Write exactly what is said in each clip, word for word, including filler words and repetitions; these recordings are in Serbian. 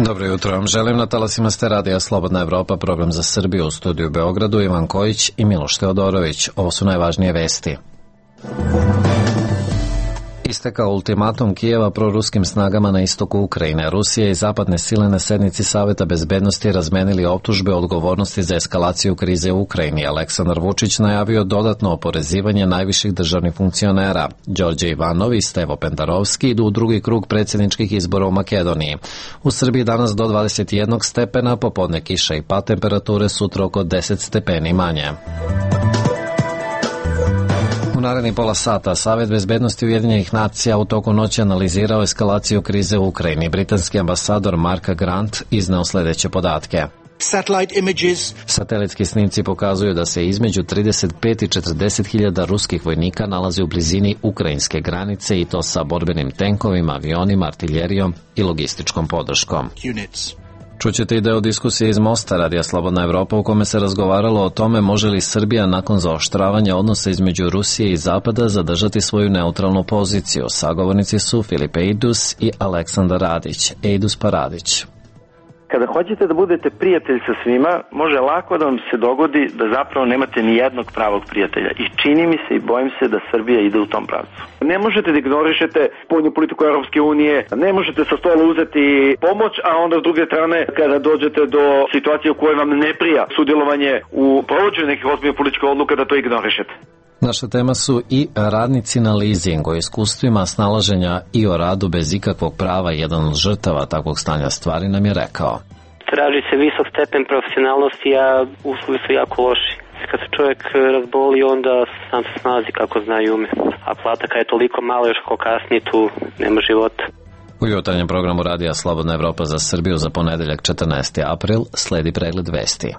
Dobro jutro vam želim, na talasima ste radija Slobodna Evropa, program za Srbiju, u studiju u Beogradu, Ivan Kojić i Miloš Teodorović. Ovo su najvažnije vesti. Istekao ultimatum Kijeva proruskim snagama na istoku Ukrajine. Rusija i zapadne sile na sednici Saveta bezbednosti razmenili optužbe o odgovornosti za eskalaciju krize u Ukrajini. Aleksandar Vučić najavio dodatno oporezivanje najviših državnih funkcionera. Đorđe Ivanov i Stevo Pendarovski idu u drugi krug predsjedničkih izbora u Makedoniji. U Srbiji danas do dvadeset jednog stepena, popodne kiša i pad, temperature sutra oko deset stepeni manje. U narednih pola sata Savet bezbednosti Ujedinjenih nacija u toku noći analizirao eskalaciju krize u Ukrajini. Britanski ambasador Mark Grant izneo sljedeće podatke. Satelitski snimci pokazuju da se između trideset pet i četrdeset hiljada ruskih vojnika nalazi u blizini ukrajinske granice, i to sa borbenim tenkovima, avionima, artiljerijom i logističkom podrškom. Čućete i deo diskusije iz Mosta, radija Slobodna Evropa, u kome se razgovaralo o tome može li Srbija nakon zaoštravanja odnosa između Rusije i Zapada zadržati svoju neutralnu poziciju. Sagovornici su Filip Ejdus i Aleksandar Radić. Ejdus pa Radić. Kada hoćete da budete prijatelj sa svima, može lako da vam se dogodi da zapravo nemate ni jednog pravog prijatelja. I čini mi se i bojim se da Srbija ide u tom pravcu. Ne možete da ignorišete spoljnu politiku Europske unije, ne možete sa stola uzeti pomoć, a onda s druge strane kada dođete do situacije u kojoj vam ne prija sudjelovanje u provođenju nekih ozbiljnih političkih odluka, da to ignorišete. Naša tema su i radnici na leasing, o iskustvima snalaženja i o radu bez ikakvog prava. Jedan od žrtava takvog stanja stvari nam je rekao. Traži se visok stepen profesionalnosti, a uslovi su jako loši. Kad se čovjek razboli, onda sam se snalazi kako zna i ume. A plata kad je toliko malo, još ko kasnije, tu nema života. U jutarnjem programu radija Slobodna Evropa za Srbiju za ponedeljak četrnaesti april sledi pregled vesti.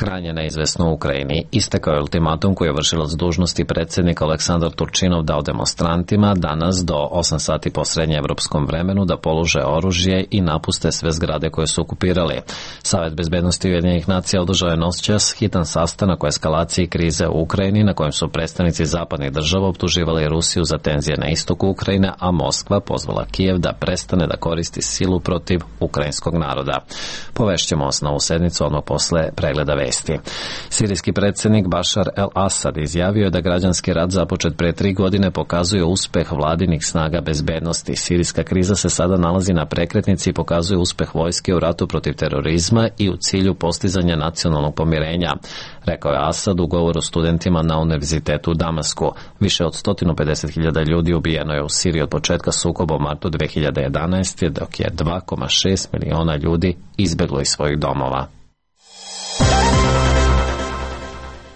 Krajnje neizvesno u Ukrajini. Istekao je ultimatum koji je vršilac dužnosti predsjednik Aleksandar Turčinov dao demonstrantima danas do osam sati po srednjeevropskom vremenu da polože oružje i napuste sve zgrade koje su okupirali. Savet bezbednosti Ujedinjenih nacija održao je noćas hitan sastanak o eskalaciji krize u Ukrajini, na kojem su predstavnici zapadnih država optuživali Rusiju za tenzije na istoku Ukrajine, a Moskva pozvala Kijev da prestane da koristi silu protiv ukrajinskog naroda. Povešćemo vas na ovu sednicu odmah posle pregleda vesti. Sirijski predsjednik Bašar el-Asad izjavio je da građanski rat započet pre tri godine pokazuje uspeh vladinih snaga bezbednosti. Sirijska kriza se sada nalazi na prekretnici i pokazuje uspeh vojske u ratu protiv terorizma i u cilju postizanja nacionalnog pomirenja, rekao je Asad u govoru studentima na Univerzitetu u Damasku. Više od sto pedeset hiljada ljudi ubijeno je u Siriji od početka sukoba u martu dve hiljade jedanaeste. dok je dva zarez šest miliona ljudi izbjeglo iz svojih domova.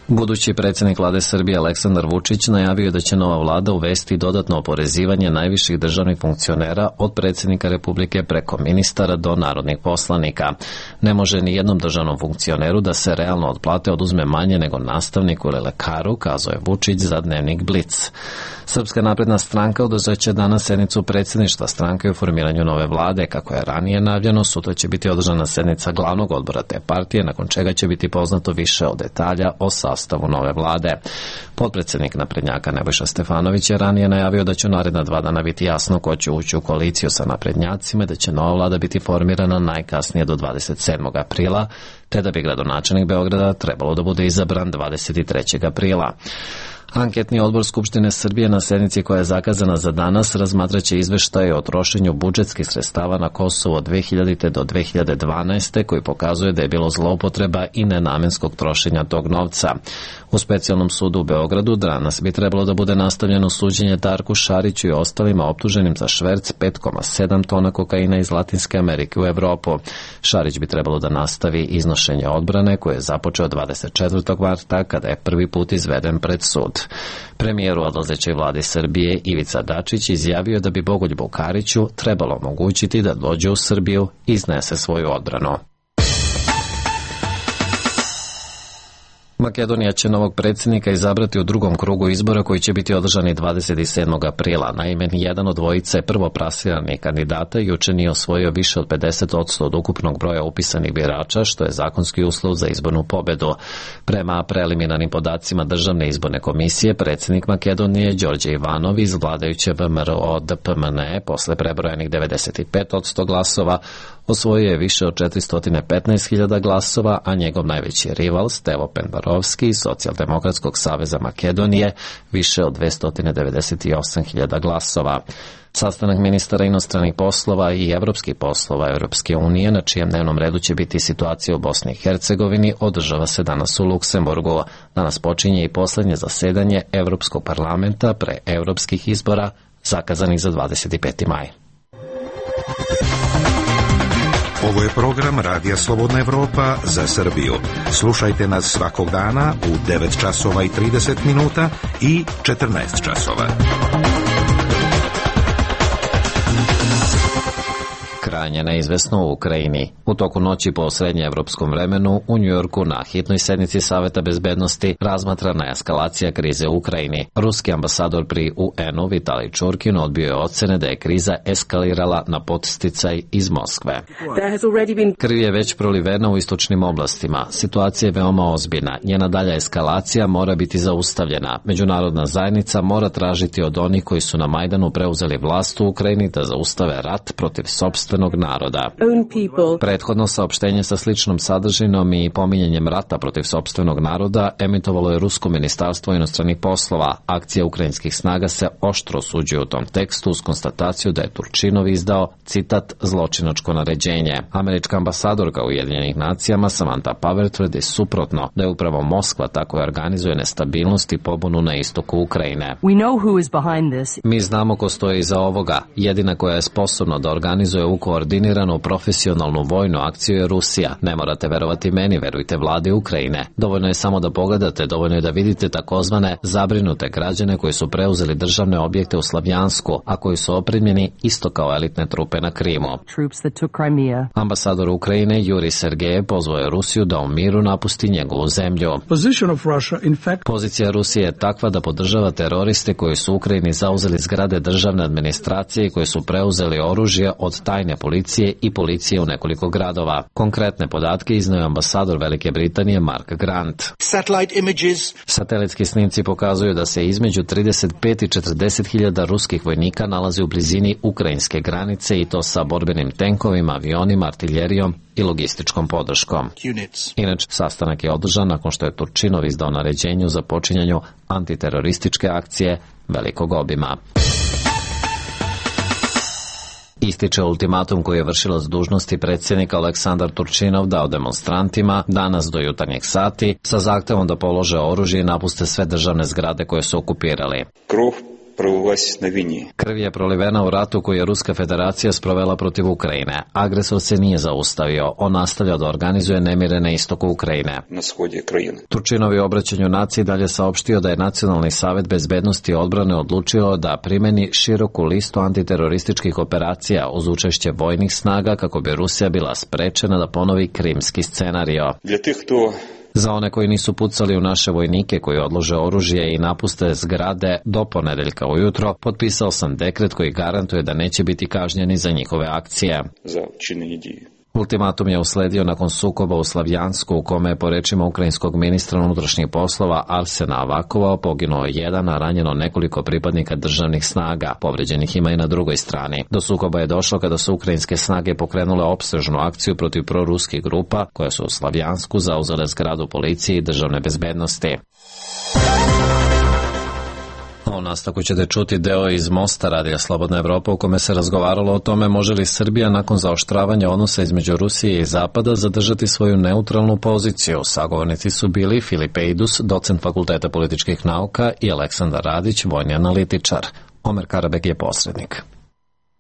Budući predsjednik vlade Srbije Aleksandar Vučić najavio da će nova vlada uvesti dodatno oporezivanje najviših državnih funkcionera od predsjednika Republike preko ministara do narodnih poslanika. Ne može ni jednom državnom funkcioneru da se realno od plate oduzme manje nego nastavniku ili lekaru, kazao je Vučić za dnevnik Blic. Srpska napredna stranka održat će danas sednicu predsjedništva stranke u formiranju nove vlade. Kako je ranije najavljeno, sutra će biti održana sednica glavnog odbora te partije, nakon čega će biti poznato više od detalja o sastavu nove vlade. Potpredsjednik naprednjaka Nebojša Stefanović je ranije najavio da će naredna dva dana biti jasno ko će ući u koaliciju sa naprednjacima i da će nova vlada biti formirana najkasnije do dvadeset sedmog aprila, te da bi gradonačelnik Beograda trebalo da bude izabran dvadeset trećeg aprila. Anketni odbor Skupštine Srbije na sednici koja je zakazana za danas razmatraće izveštaj o trošenju budžetskih sredstava na Kosovo od dve hiljadite do dve hiljade dvanaeste. koji pokazuje da je bilo zloupotreba i nenamenskog trošenja tog novca. U specijalnom sudu u Beogradu danas bi trebalo da bude nastavljeno suđenje Darku Šariću i ostalima optuženim za šverc pet zarez sedam tona kokaina iz Latinske Amerike u Evropu. Šarić bi trebalo da nastavi iznošenje odbrane koje je započeo dvadeset četvrtog marta kada je prvi put izveden pred sud. Premijer u odlazećoj vladi Srbije Ivica Dačić izjavio da bi Bogoljubu Kariću trebalo omogućiti da dođe u Srbiju i iznese svoju odbranu. Makedonija će novog predsjednika izabrati u drugom krugu izbora koji će biti održani dvadeset sedmog aprila. Naime, nijedan od dvojice prvoplasiranih kandidata juče nije osvojio više od pedeset posto od ukupnog broja upisanih birača, što je zakonski uslov za izbornu pobedu. Prema preliminarnim podacima Državne izborne komisije, predsjednik Makedonije Đorđe Ivanov iz vladajuće V M R O D P M N E posle prebrojenih devedeset pet posto glasova osvojio je više od četiristo petnaest hiljada glasova, a njegov najveći rival Stevo Penbarovski iz Socijaldemokratskog saveza Makedonije više od dvesta devedeset osam hiljada glasova. Sastanak ministara inostranih poslova i evropskih poslova Europske unije, na čijem dnevnom redu će biti situacija u Bosni i Hercegovini, održava se danas u Luksemburgu. Danas počinje i poslednje zasedanje Evropskog parlamenta pre evropskih izbora, zakazanih za dvadeset peti maj. Ovo je program Radija Slobodna Evropa za Srbiju. Slušajte nas svakog dana u devet časova i trideset minuta i četrnaest časova. Krajnje neizvesno u Ukrajini. U toku noći po srednjeevropskom vremenu u Njujorku na hitnoj sednici Saveta bezbednosti razmatrana je eskalacija krize u Ukrajini. Ruski ambasador pri U N-u Vitalij Čurkin odbio je ocene da je kriza eskalirala na podsticaj iz Moskve. Krv je već prolivena u istočnim oblastima. Situacija je veoma ozbiljna. Njena dalja eskalacija mora biti zaustavljena. Međunarodna zajednica mora tražiti od onih koji su na Majdanu preuzeli vlast u Ukrajini da zaustave rat protiv sopstvenog naroda. Prethodno saopštenje sa sličnom sadržinom i pominjanjem rata protiv sopstvenog naroda emitovalo je Rusko ministarstvo inostranih poslova. Akcija ukrajinskih snaga se oštro osuđuje u tom tekstu uz konstataciju da je Turčinov izdao, citat, zločinačko naređenje. Američka ambasadorka u Ujedinjenih nacijama Samantha Power tvrdi suprotno, da je upravo Moskva tako organizuje nestabilnost i pobunu na istoku Ukrajine. Mi znamo ko stoji iza ovoga. Jedina koja je sposobna da organizuje u koordiniranu profesionalnu vojnu akciju je Rusija. Ne morate verovati meni, verujte vladi Ukrajine. Dovoljno je samo da pogledate, dovoljno je da vidite takozvane zabrinute građane koji su preuzeli državne objekte u Slavjansku, a koji su opremljeni isto kao elitne trupe na Krimu. Ambasador Ukrajine Juri Sergejev pozvao je Rusiju da u miru napusti njegovu zemlju. Pozicija Rusije je takva da podržava teroriste koji su u Ukrajini zauzeli zgrade državne administracije i koji su preuzeli oružje od tajne policije i policije u nekoliko gradova. Konkretne podatke izneo je ambasador Velike Britanije Mark Grant. Satelitski snimci pokazuju da se između trideset pet i četrdeset hiljada ruskih vojnika nalazi u blizini ukrajinske granice i to sa borbenim tenkovima, avionima, artiljerijom i logističkom podrškom. Inače, sastanak je održan nakon što je Turčinov izdao naređenje za počinjanju antiterorističke akcije velikog obima. Ističe ultimatum koji je vršilac dužnosti predsjednika Aleksandar Turčinov dao demonstrantima danas do jutarnjeg sati sa zahtevom da polože oružje i napuste sve državne zgrade koje su okupirali. Krv je prolivena u ratu koji je Ruska federacija sprovela protiv Ukrajine. Agresor se nije zaustavio. On nastavlja da organizuje nemire na istoku Ukrajine. Turčinov je u obraćanju naciji dalje saopštio da je Nacionalni savet bezbednosti i odbrane odlučio da primeni široku listu antiterorističkih operacija uz učešće vojnih snaga kako bi Rusija bila sprečena da ponovi krimski scenario. Za one koji nisu pucali u naše vojnike koji odlože oružje i napuste zgrade do ponedeljka ujutro, potpisao sam dekret koji garantuje da neće biti kažnjeni za njihove akcije. Ultimatum je usledio nakon sukoba u Slavjansku u kome je po rečima ukrajinskog ministra unutrašnjih poslova Arsena Avakova poginuo jedan, a ranjeno nekoliko pripadnika državnih snaga. Povređenih ima i na drugoj strani. Do sukoba je došlo kada su ukrajinske snage pokrenule opsežnu akciju protiv proruskih grupa koje su u Slavjansku zauzele zgradu policije i državne bezbednosti. U nastavku ćete čuti deo iz Mosta Radija Slobodna Evropa u kome se razgovaralo o tome može li Srbija nakon zaoštravanja odnosa između Rusije i Zapada zadržati svoju neutralnu poziciju. Sagovornici su bili Filip Ejdus, docent Fakulteta političkih nauka, i Aleksandar Radić, vojni analitičar. Omer Karabek je posrednik.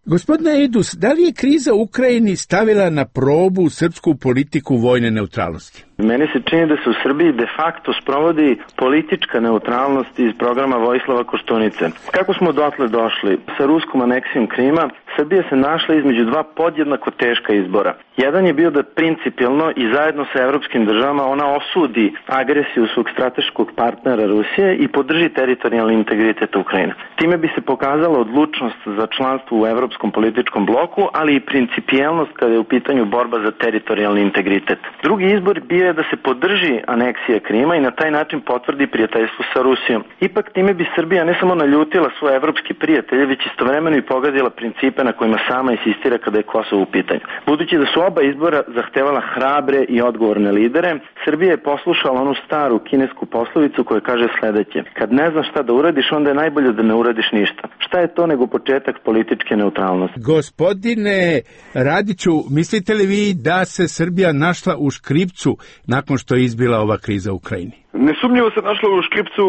Gospodine Ejdus, da li je kriza u Ukrajini stavila na probu srpsku politiku vojne neutralnosti? Meni se čini da se u Srbiji de facto sprovodi politička neutralnost iz programa Vojislava Koštunice. Kako smo dotle došli? Sa ruskom aneksijom Krima Srbija se našla između dva podjednako teška izbora. Jedan je bio da principijelno i zajedno sa evropskim državama ona osudi agresiju svog strateškog partnera Rusije i podrži teritorijalni integritet Ukrajine. Time bi se pokazala odlučnost za članstvo u evropskom političkom bloku, ali i principijelnost kada je u pitanju borba za teritorijalni integritet. Drugi izbor bio je da se podrži aneksija Krima i na taj način potvrdi prijateljstvo sa Rusijom. Ipak time bi Srbija ne samo naljutila svoje evropske prijatelje, već istovremeno i pogadila principe na kojima sama insistira kada je Kosovo u pitanju. Budući da su oba izbora zahtevala hrabre i odgovorne lidere, Srbija je poslušala onu staru kinesku poslovicu koja kaže sledeće: kad ne znaš šta da uradiš, onda je najbolje da ne uradiš ništa. Šta je to nego početak političke neutralnosti? Gospodine Radiću, mislite li vi da se Srbija našla u škripcu nakon što je izbila ova kriza u Ukrajini? Nesumnjivo se našla u škripcu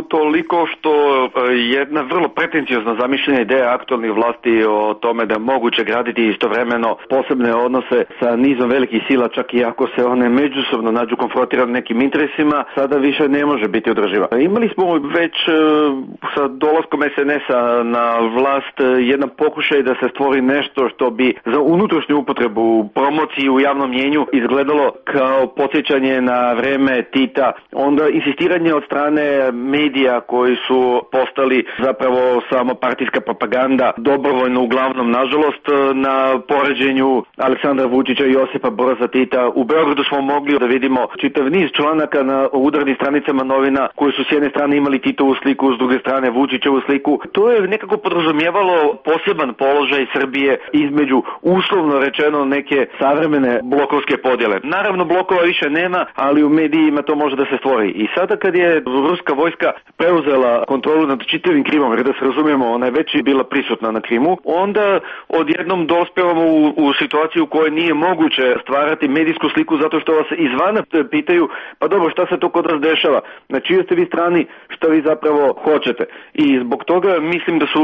toliko što jedna vrlo pretencijozna zamišljena ideja aktualnih vlasti o tome da je moguće graditi istovremeno posebne odnose sa nizom velikih sila, čak i ako se one međusobno nađu konfrontirane nekim interesima, sada više ne može biti održiva. Imali smo već sa dolaskom es en es-a na vlast jedan pokušaj da se stvori nešto što bi za unutrašnju upotrebu, promociju u javnom mjenju izgledalo kao podsjećanje na vreme Tita. On Onda insistiranje od strane medija koji su postali zapravo samo partijska propaganda, dobrovoljno uglavnom, nažalost, na poređenju Aleksandra Vučića i Josipa Broza Tita. U Beogradu smo mogli da vidimo čitav niz članaka na udarnim stranicama novina koji su s jedne strane imali Titovu sliku, s druge strane Vučićevu sliku. To je nekako podrazumijevalo poseban položaj Srbije između, uslovno rečeno, neke savremene blokovske podjele. Naravno, blokova više nema, ali u medijima to može da se stvori. I sada kad je ruska vojska preuzela kontrolu nad čitavim Krimom, jer da se razumijemo, ona je već bila prisutna na Krimu, onda odjednom dospevamo u, u situaciju u kojoj nije moguće stvarati medijsku sliku zato što vas izvana pitaju, pa dobro, šta se to kod nas dešava? Na čijoj ste vi strani, šta vi zapravo hoćete? I zbog toga mislim da su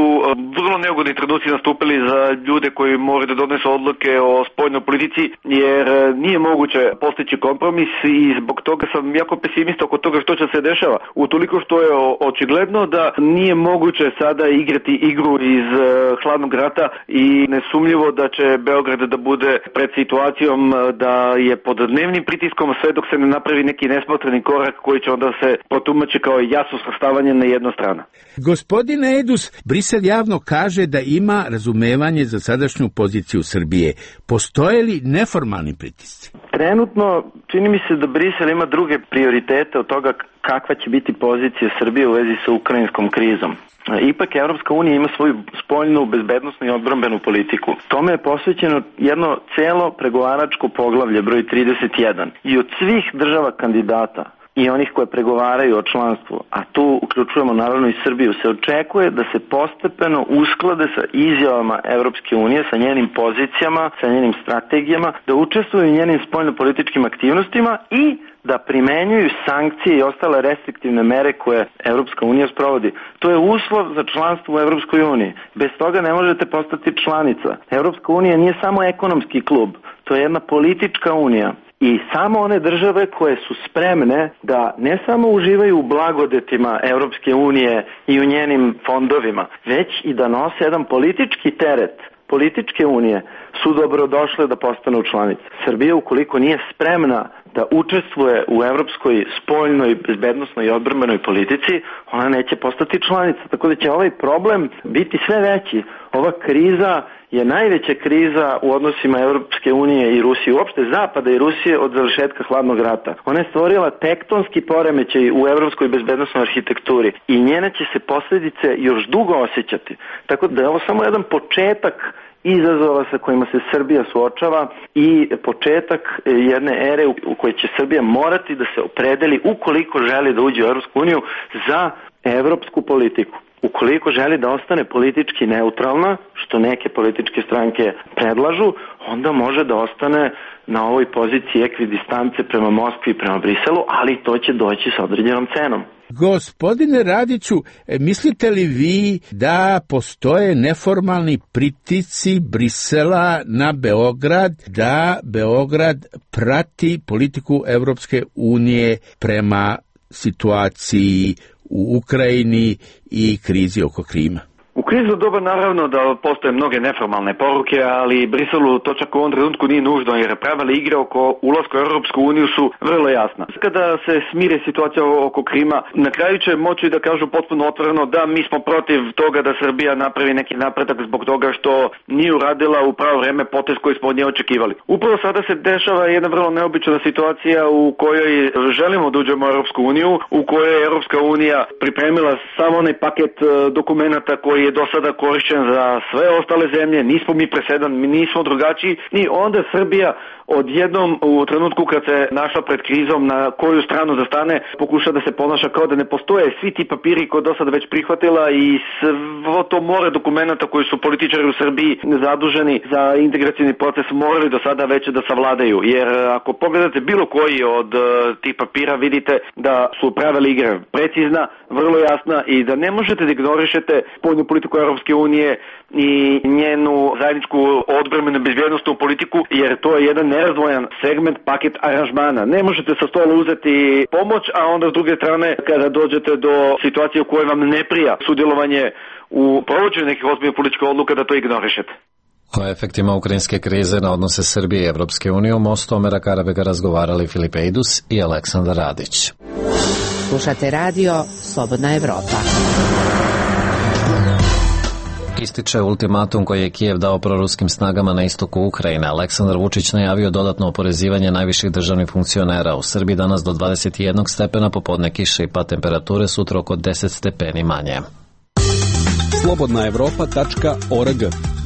vrlo neugodni trenuci nastupili za ljude koji moraju da donesu odluke o spoljnoj politici, jer nije moguće postići kompromis i zbog toga sam jako pesimista oko toga što će se dešava. Utoliko što je očigledno da nije moguće sada igrati igru iz uh, hladnog rata i nesumljivo da će Beograd da bude pred situacijom da je pod dnevnim pritiskom sve dok se ne napravi neki nesmotreni korak koji će onda se protumači kao jasno svrstavanje na jednu stranu. Gospodine Edus, Brisel javno kaže da ima razumevanje za sadašnju poziciju Srbije. Postoje li neformalni pritisci? Trenutno čini mi se da Brisel ima druge prioritete od toga kakva će biti pozicija Srbije u vezi sa ukrajinskom krizom. Ipak Evropska unija ima svoju spoljnu, bezbednosnu i odbrambenu politiku. Tome je posvećeno jedno celo pregovaračko poglavlje broj trideset jedan. I od svih država kandidata i onih koje pregovaraju o članstvu, a tu uključujemo naravno i Srbiju, se očekuje da se postepeno usklade sa izjavama Evropske unije, sa njenim pozicijama, sa njenim strategijama, da učestvuju u njenim spoljnopolitičkim aktivnostima i da primenjuju sankcije i ostale restriktivne mere koje Evropska unija sprovodi. To je uslov za članstvo u Evropskoj uniji. Bez toga ne možete postati članica. Evropska unija nije samo ekonomski klub, to je jedna politička unija. I samo one države koje su spremne da ne samo uživaju u blagodetima Evropske unije i u njenim fondovima, već i da nose jedan politički teret političke unije, su dobrodošle da postanu članice. Srbija, ukoliko nije spremna da učestvuje u evropskoj spoljnoj, bezbednosnoj i odbrambenoj politici, ona neće postati članica. Tako da će ovaj problem biti sve veći. Ova kriza je najveća kriza u odnosima Evropske unije i Rusije, uopšte Zapada i Rusije od završetka hladnog rata. Ona je stvorila tektonski poremećaj u evropskoj bezbednosnoj arhitekturi i njene će se posljedice još dugo osjećati. Tako da je ovo samo jedan početak izazova sa kojima se Srbija suočava i početak jedne ere u kojoj će Srbija morati da se opredeli ukoliko želi da uđe u Evropsku uniju za evropsku politiku. Ukoliko želi da ostane politički neutralna, što neke političke stranke predlažu, onda može da ostane na ovoj poziciji ekvidistance prema Moskvi i prema Briselu, ali to će doći sa određenom cenom. Gospodine Radiću, mislite li vi da postoje neformalni pritisci Brisela na Beograd, da Beograd prati politiku Evropske unije prema situaciji u Ukrajini i krizi oko Krima? U krizno doba naravno da postoje mnoge neformalne poruke, ali Briselu to čak u ovom trenutku nije nužno, jer pravila igre oko ulaska u Europsku uniju su vrlo jasna. Kada se smire situacija oko Krima, na kraju će moći da kažu potpuno otvoreno da mi smo protiv toga da Srbija napravi neki napredak zbog toga što nije uradila u pravo vreme potez koji smo od nje očekivali. Upravo sada se dešava jedna vrlo neobična situacija u kojoj želimo da uđemo u Europsku uniju, u kojoj je Europska unija pripremila samo onaj paket dokumenata koji je do sada korišćen za sve ostale zemlje, nismo mi presedan, mi nismo drugačiji, i onda Srbija odjednom u trenutku kad se našla pred krizom na koju stranu da stane, pokuša da se ponaša kao da ne postoje svi ti papiri koje do sada već prihvatila i svo to more dokumenta koji su političari u Srbiji zaduženi za integracijni proces morali do sada već da savladaju, jer ako pogledate bilo koji od uh, tih papira vidite da su pravila igre precizna, vrlo jasna i da ne možete da ignorišete spoljnu politiku Europske unije i njenu zajedničku odbrambenu bezbjednosnu politiku, jer to je jedan nerazdvojan segment paket aranžmana. Ne možete sa stola uzeti pomoć, a onda s druge strane kada dođete do situacije u kojoj vam ne prija sudjelovanje u provođenju nekih ozbiljnih političkih odluka, da to ignorišete. O efektima ukrajinske krize na odnose Srbije i Evropske unije u mostu Omera Karabega razgovarali Filip Ejdus i Aleksandar Radić. Slušate radio Slobodna Evropa. Ističe ultimatum koji je Kijev dao proruskim snagama na istoku Ukrajine. Aleksandar Vučić najavio dodatno oporezivanje najviših državnih funkcionera. U Srbiji danas do dvadeset jedan stepena, popodne kiše i pad temperature, sutra oko deset stepeni manje. slobodna evropa tačka org.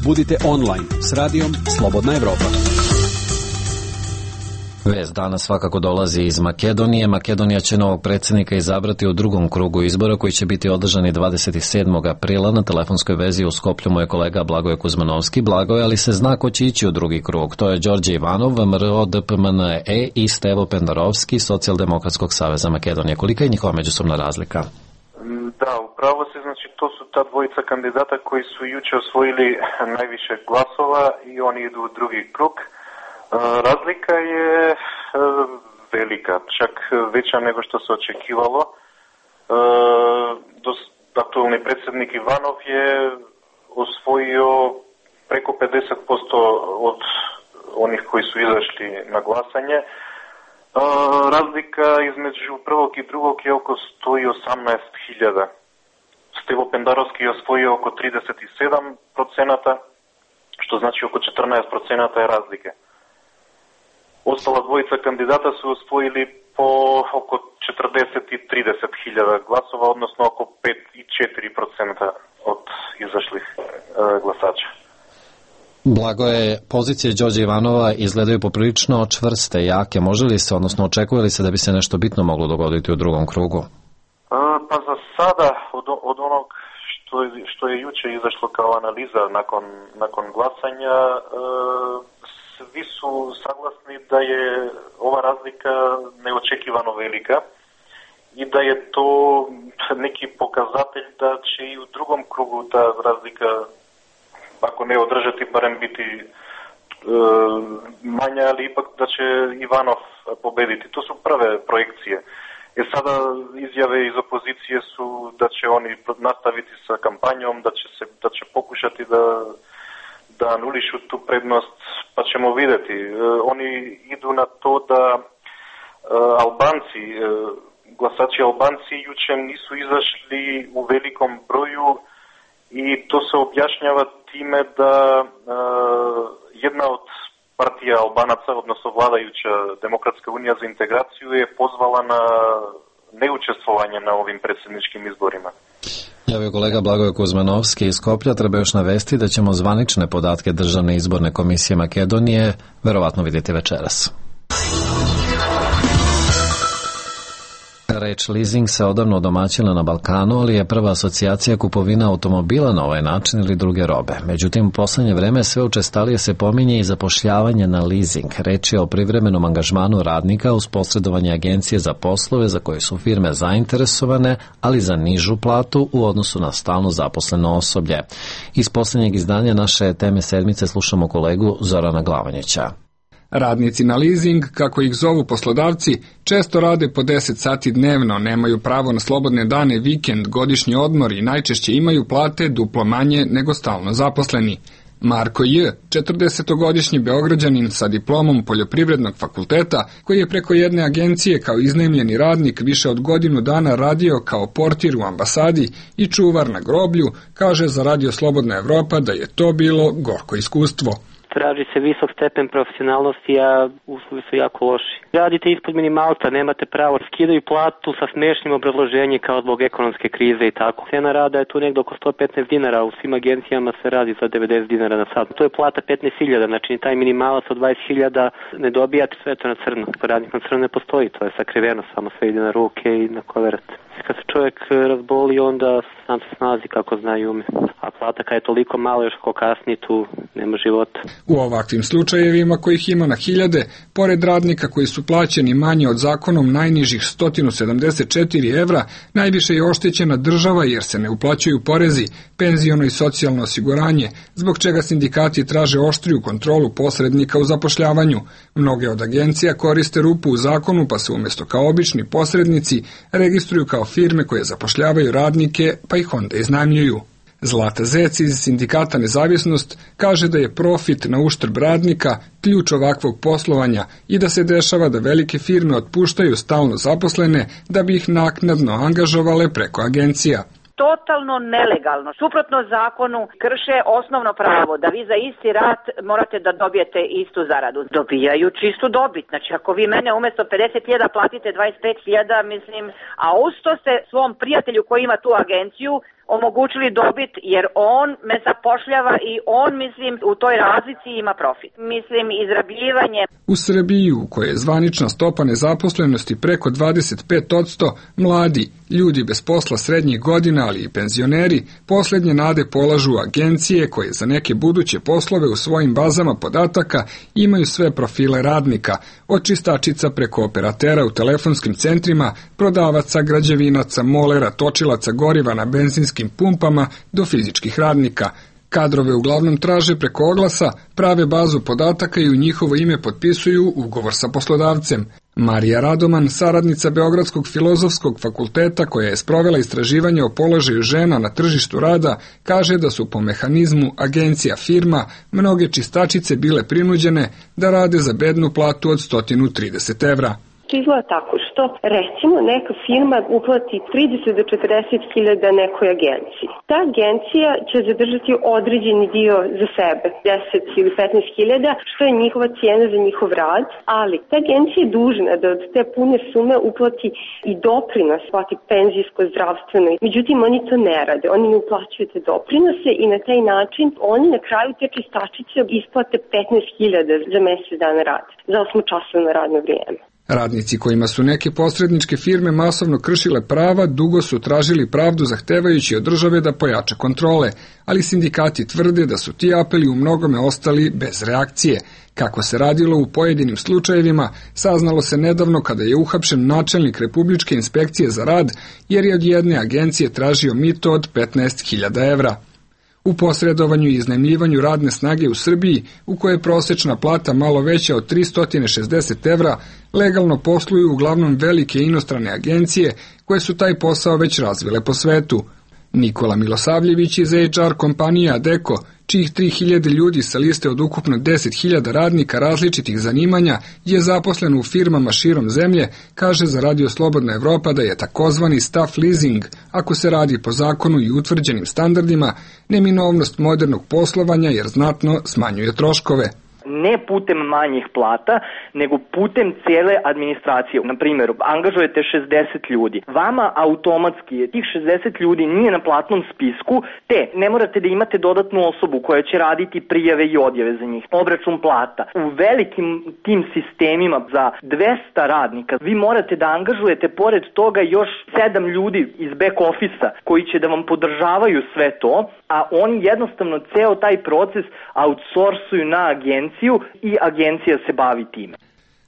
Budite online s radijom Slobodna Evropa. Vest danas svakako dolazi iz Makedonije. Makedonija će novog predsjednika izabrati u drugom krugu izbora koji će biti održani dvadeset sedmog aprila. Na telefonskoj vezi u Skoplju mu je kolega Blagoje Kuzmanovski. Blagoje, ali se zna ko će ići u drugi krug. To je Đorđe Ivanov, M R O D P M N E i Stevo Pendarovski, Socijaldemokratskog saveza Makedonije. Kolika je njihova međusobna razlika? Da, upravo se, znači to su ta dvojica kandidata koji su juče osvojili najviše glasova i oni idu u drugi krug. Razlika je velika, čak veća nego što se očekivalo. Aktualni predsjednik Ivanov je osvojio preko pedeset posto od onih koji su izašli na glasanje. Razlika između prvog i drugog je oko sto osamnaest hiljada. Stevo Pendarovski je osvojio oko trideset sedam procenata, što znači oko četrnaest procenata je razlike. Ostala dvojica kandidata su osvojili po oko četrdeset i trideset hiljada glasova, odnosno oko pet i četiri procenta od izašlih e, glasača. Blagoje, pozicije Đorđe Ivanova izgledaju poprilično čvrste, jake. Može li se, odnosno očekuje li se da bi se nešto bitno moglo dogoditi u drugom krugu? E, pa za sada, od, od onog što je, što je juče izašlo kao analiza nakon, nakon glasanja, e, svi su saglasni da je ova razlika neočekivano velika i da je to neki pokazatelj da će i u drugom krugu ta razlika, ako ne održati, barem biti e, manja, ali ipak da će Ivanov pobediti. To su prve projekcije. E sada izjave iz opozicije su da će oni nastaviti sa kampanjom, da će, se, da će pokušati da da anulišu tu prednost, pa ćemo vidjeti. E, oni idu na to da e, Albanci, e, glasači Albanci juče nisu izašli u velikom broju i to se objašnjava time da e, jedna od partija Albanaca, odnosno vladajuća Demokratska unija za integraciju, je pozvala na neučestvovanje na ovim predsjedničkim izborima. Javio kolega Blagoje Kuzmanovski iz Skoplja. Treba još navesti da ćemo zvanične podatke Državne izborne komisije Makedonije verovatno vidjeti večeras. Reč leasing se odavno odomaćila na Balkanu, ali je prva asocijacija kupovina automobila na ovaj način ili druge robe. Međutim, u poslednje vreme sve učestalije se pominje i zapošljavanje na leasing. Reč je o privremenom angažmanu radnika uz posredovanje agencije za poslove za koje su firme zainteresovane, ali za nižu platu u odnosu na stalno zaposleno osoblje. Iz poslednjeg izdanja naše teme sedmice slušamo kolegu Zorana Glavanjića. Radnici na leasing, kako ih zovu poslodavci, često rade po deset sati dnevno, nemaju pravo na slobodne dane, vikend, godišnji odmor i najčešće imaju plate duplo manje nego stalno zaposleni. Marko J., četrdesetogodišnji Beograđanin sa diplomom Poljoprivrednog fakulteta, koji je preko jedne agencije kao iznajmljeni radnik više od godinu dana radio kao portir u ambasadi i čuvar na groblju, kaže za Radio Slobodna Evropa da je to bilo gorko iskustvo. Traži se visok stepen profesionalnosti, a uslovi su jako loši. Radite ispod minimalca, nemate pravo, skidaju platu sa smešnim obrazloženjem kao zbog ekonomske krize i tako. Cena rada je tu negdje oko sto petnaest dinara, u svim agencijama se radi za devedeset dinara na sat. To je plata petnaest hiljada, znači taj minimalac od dvadeset hiljada ne dobijate, sve to na crno. Radnik na crno ne postoji, to je sakriveno, samo sve ide na ruke i na koverate. Kad se čovjek razboli, onda sam se snazi kako zna i ume. A plata kad je toliko malo još ko kasni, tu nema života. U ovakvim slučajevima, kojih ima na hiljade, pored radnika koji su plaćeni manje od zakonom najnižih sto sedamdeset četiri evra, najviše je oštećena država jer se ne uplaćuju porezi, penziono i socijalno osiguranje, zbog čega sindikati traže oštriju kontrolu posrednika u zapošljavanju. Mnoge od agencija koriste rupu u zakonu, pa se umjesto kao obični posrednici registruju kao firme koje zapošljavaju radnike, pa ih onda iznajmljuju. Zlata Zec iz sindikata Nezavisnost kaže da je profit na uštrb radnika ključ ovakvog poslovanja i da se dešava da velike firme otpuštaju stalno zaposlene da bi ih naknadno angažovale preko agencija. Totalno nelegalno, suprotno zakonu, krše osnovno pravo da vi za isti rad morate da dobijete istu zaradu. Dobijaju čistu dobit, znači ako vi mene umjesto pedeset hiljada platite dvadeset pet hiljada, mislim, a usto ste svom prijatelju koji ima tu agenciju omogućili dobit jer on me zapošljava i on, mislim, u toj razlici ima profit. Mislim, izrabljivanje. U Srbiji, u kojoj je zvanična stopa nezaposlenosti preko dvadeset pet posto, mladi, ljudi bez posla srednjih godina, ali i penzioneri, posljednje nade polažu agencije koje za neke buduće poslove u svojim bazama podataka imaju sve profile radnika, od čistačica preko operatera u telefonskim centrima, prodavaca, građevinaca, molera, točilaca goriva na benzinskim pumpama do fizičkih radnika. Kadrove uglavnom traže preko oglasa, prave bazu podataka i u njihovo ime potpisuju ugovor sa poslodavcem. Marija Radoman, saradnica Beogradskog filozofskog fakulteta koja je sprovela istraživanje o položaju žena na tržištu rada, kaže da su po mehanizmu agencija firma mnoge čistačice bile prinuđene da rade za bednu platu od sto trideset evra. To izgleda tako što, recimo, neka firma uplati trideset do četrdeset hiljada nekoj agenciji. Ta agencija će zadržati određeni dio za sebe, deset ili petnaest hiljada, što je njihova cijena za njihov rad, ali ta agencija je dužna da od te pune sume uplati i doprinos, plati penzijsko, zdravstveno. Međutim, oni to ne rade, oni ne uplaćuju te doprinose i na taj način oni na kraju te čistačice isplate petnaest hiljada za mjesec dana rada, za osmočasovno radno vrijeme. Radnici kojima su neke posredničke firme masovno kršile prava dugo su tražili pravdu zahtevajući od države da pojača kontrole, ali sindikati tvrde da su ti apeli u mnogome ostali bez reakcije. Kako se radilo u pojedinim slučajevima, saznalo se nedavno kada je uhapšen načelnik Republičke inspekcije za rad jer je od jedne agencije tražio mito od petnaest hiljada evra. U posredovanju i iznajmljivanju radne snage u Srbiji, u kojoj je prosječna plata malo veća od tristo šezdeset evra, legalno posluju uglavnom velike inostrane agencije koje su taj posao već razvile po svetu. Nikola Milosavljević iz H R kompanije Adecco, čijih tri hiljade ljudi sa liste od ukupno deset hiljada radnika različitih zanimanja je zaposlen u firmama širom zemlje, kaže za Radio Slobodna Evropa da je takozvani staff leasing, ako se radi po zakonu i utvrđenim standardima, neminovnost modernog poslovanja jer znatno smanjuje troškove. ne putem manjih plata, nego putem cijele administracije. Na primjer, angažujete šezdeset ljudi. Vama automatski tih šezdeset ljudi nije na platnom spisku, te ne morate da imate dodatnu osobu koja će raditi prijave i odjave za njih, obračun plata. U velikim tim sistemima za dvesta radnika vi morate da angažujete pored toga još sedam ljudi iz back office-a koji će da vam podržavaju sve to, a oni jednostavno ceo taj proces outsourcuju na agenciju i agencija se bavi time.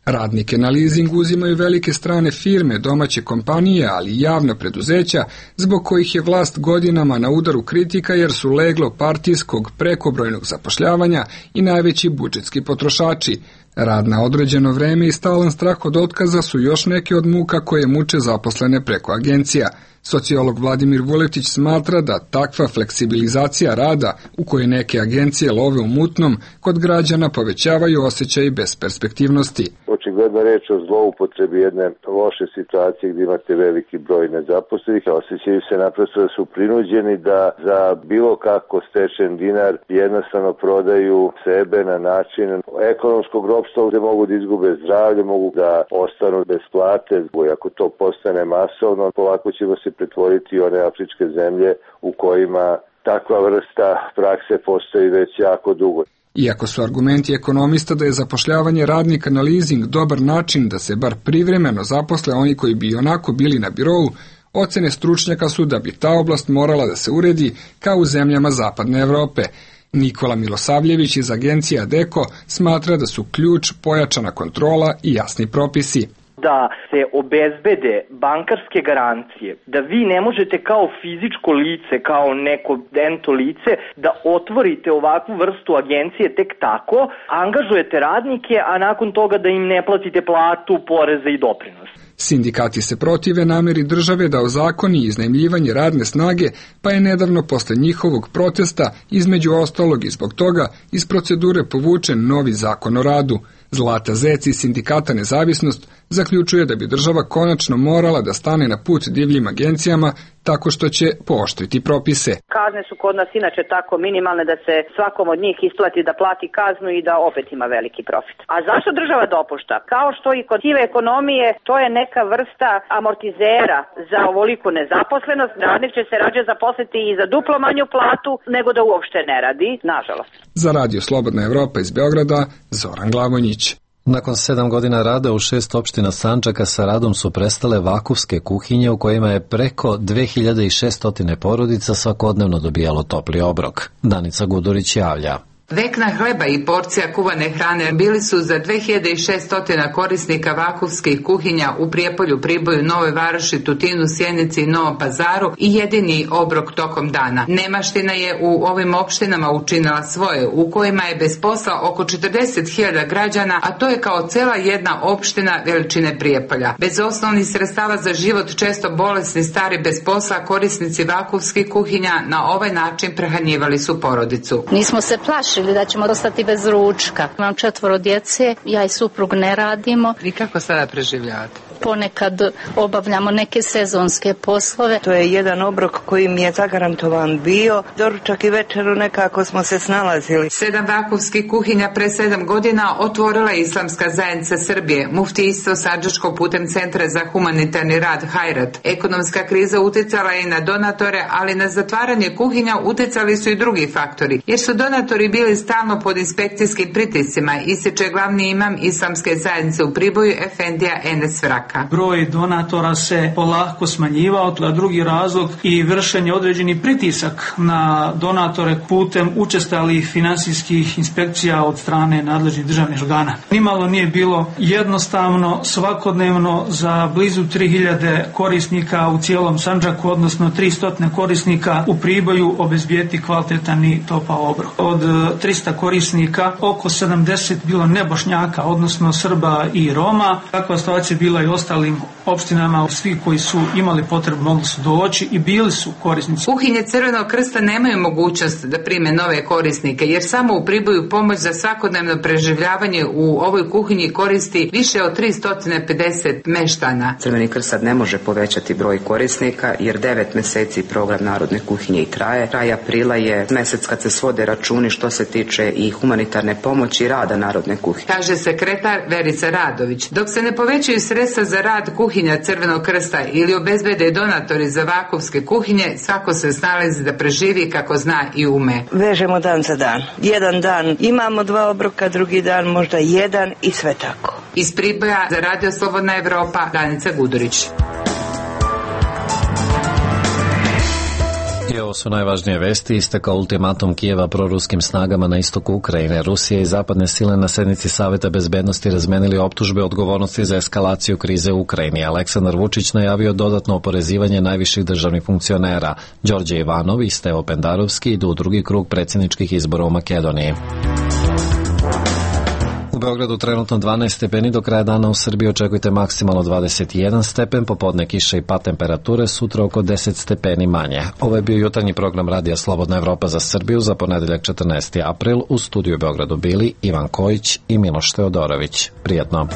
Radnike na leasing uzimaju velike strane firme, domaće kompanije, ali i javna preduzeća, zbog kojih je vlast godinama na udaru kritika jer su leglo partijskog prekobrojnog zapošljavanja i najveći budžetski potrošači. Rad na određeno vreme i stalan strah od otkaza su još neke od muka koje muče zaposlene preko agencija. Sociolog Vladimir Vuletić smatra da takva fleksibilizacija rada, u kojoj neke agencije love u mutnom, kod građana povećavaju osjećaj besperspektivnosti. Očigledno reč o zloupotrebi jedne loše situacije gdje imate veliki broj nezaposlenih, a osjećaju se naprosto da su prinuđeni da za bilo kako stečen dinar jednostavno prodaju sebe na način ekonomskog ropstva gdje mogu da izgube zdravlje, mogu da ostanu bez plate. Ako to postane masovno, polako ćemo se pretvoriti one afričke zemlje u kojima takva vrsta prakse postoji već jako dugo. Iako su argumenti ekonomista da je zapošljavanje radnika na leasing dobar način da se bar privremeno zaposle oni koji bi onako bili na birou, ocene stručnjaka su da bi ta oblast morala da se uredi kao u zemljama zapadne Evrope. Nikola Milosavljević iz agencije Adeko smatra da su ključ pojačana kontrola i jasni propisi. Da se obezbede bankarske garancije, da vi ne možete kao fizičko lice, kao neko ento lice, da otvorite ovakvu vrstu agencije tek tako, angažujete radnike, a nakon toga da im ne platite platu, poreze i doprinos. Sindikati se protive nameri države da ozakoni iznajmljivanje radne snage, pa je nedavno posle njihovog protesta, između ostalog i zbog toga, iz procedure povučen novi zakon o radu. Zlata Zec iz Sindikata Nezavisnost zaključuje da bi država konačno morala da stane na put divljim agencijama tako što će pooštriti propise. Kazne su kod nas inače tako minimalne da se svakom od njih isplati da plati kaznu i da opet ima veliki profit. A zašto država dopušta? Kao što i kod sive ekonomije, to je neka vrsta amortizera za ovoliku nezaposlenost. Radnik će se rađe zaposliti i za duplo manju platu nego da uopšte ne radi, nažalost. Za Radio Slobodna Evropa iz Beograda, Zoran Glavonjić. Nakon sedam godina rada u šest opština Sandžaka sa radom su prestale vakufske kuhinje u kojima je preko dve hiljade šesto porodica svakodnevno dobijalo topli obrok. Danica Gudurić javlja. Vekna hleba i porcija kuvane hrane bili su za dve hiljade šesto korisnika vakufskih kuhinja u Prijepolju, Priboju, Novoj Varoši, Tutinu, Sjenici i Novom Pazaru i jedini obrok tokom dana. Nemaština je u ovim opštinama učinila svoje, u kojima je bez posla oko četrdeset hiljada građana, a to je kao cela jedna opština veličine Prijepolja. Bez osnovnih sredstava za život, često bolesni, stari, bez posla, korisnici vakufskih kuhinja na ovaj način prehranjivali su porodicu. Nismo se plašili da ćemo ostati bez ručka. Imam četvoro djece, ja i suprug ne radimo. I kako sada preživljavate? Ponekad obavljamo neke sezonske poslove. To je jedan obrok koji mi je zagarantovan bio. Doručak i večeru nekako smo se snalazili. Sedam vakufskih kuhinja pre sedam godina otvorila je Islamska zajednica Srbije, muftijstvo Sandžačko putem Centra za humanitarni rad Hajrat. Ekonomska kriza uticala je i na donatore, ali na zatvaranje kuhinja uticali su i drugi faktori, jer su donatori bili stalno pod inspekcijskim pritiscima, ističe glavni imam Islamske zajednice u Priboju, Efendija Enes Vrak. Broj donatora se polako smanjivao, a drugi razlog i vršenje određeni pritisak na donatore putem učestalih finansijskih inspekcija od strane nadležnih državnih organa. Nimalo nije bilo jednostavno svakodnevno za blizu tri hiljade korisnika u cijelom Sandžaku, odnosno tristo korisnika u Priboju obezbijeti kvalitetan i topao obrok. Od trista korisnika oko sedamdeset bilo nebošnjaka, odnosno Srba i Roma. Takva situacija bila i ostalim opštinama, svi koji su imali potrebu mogli su doći i bili su korisnici. Kuhinje Crvenog krsta nemaju mogućnost da prime nove korisnike, jer samo u Priboju pomoć za svakodnevno preživljavanje u ovoj kuhinji koristi više od tristo pedeset meštana. Crveni krst sad ne može povećati broj korisnika, jer devet meseci program Narodne kuhinje i traje. Kraj aprila je mesec kad se svode računi što se tiče i humanitarne pomoći i rada Narodne kuhinje. Kaže sekretar Verica Radović. Dok se ne povećaju sredstva za rad kuhinja Crvenog krsta ili obezbede donatori za vakovske kuhinje, svako se snalazi da preživi kako zna i ume. Vežemo dan za dan. Jedan dan imamo dva obroka, drugi dan možda jedan i sve tako. Iz Priboja za Radio Slobodna Evropa, Danica Gudurić. I ovo su najvažnije vesti. Istekao ultimatum Kijeva proruskim snagama na istoku Ukrajine. Rusija i zapadne sile na sednici Saveta bezbednosti razmenili optužbe odgovornosti za eskalaciju krize u Ukrajini. Aleksandar Vučić najavio dodatno oporezivanje najviših državnih funkcionera. Đorđe Ivanov i Stevo Pendarovski idu u drugi krug predsjedničkih izbora u Makedoniji. U Beogradu trenutno dvanaest stepeni, do kraja dana u Srbiji očekujte maksimalno dvadeset jedan stepen, popodne kiše i pad temperature, sutra oko deset stepeni manje. Ovo je bio jutarnji program Radija Slobodna Evropa za Srbiju za ponedeljak četrnaesti april. U studiju u Beogradu bili Ivan Kojić i Miloš Teodorović. Prijetno.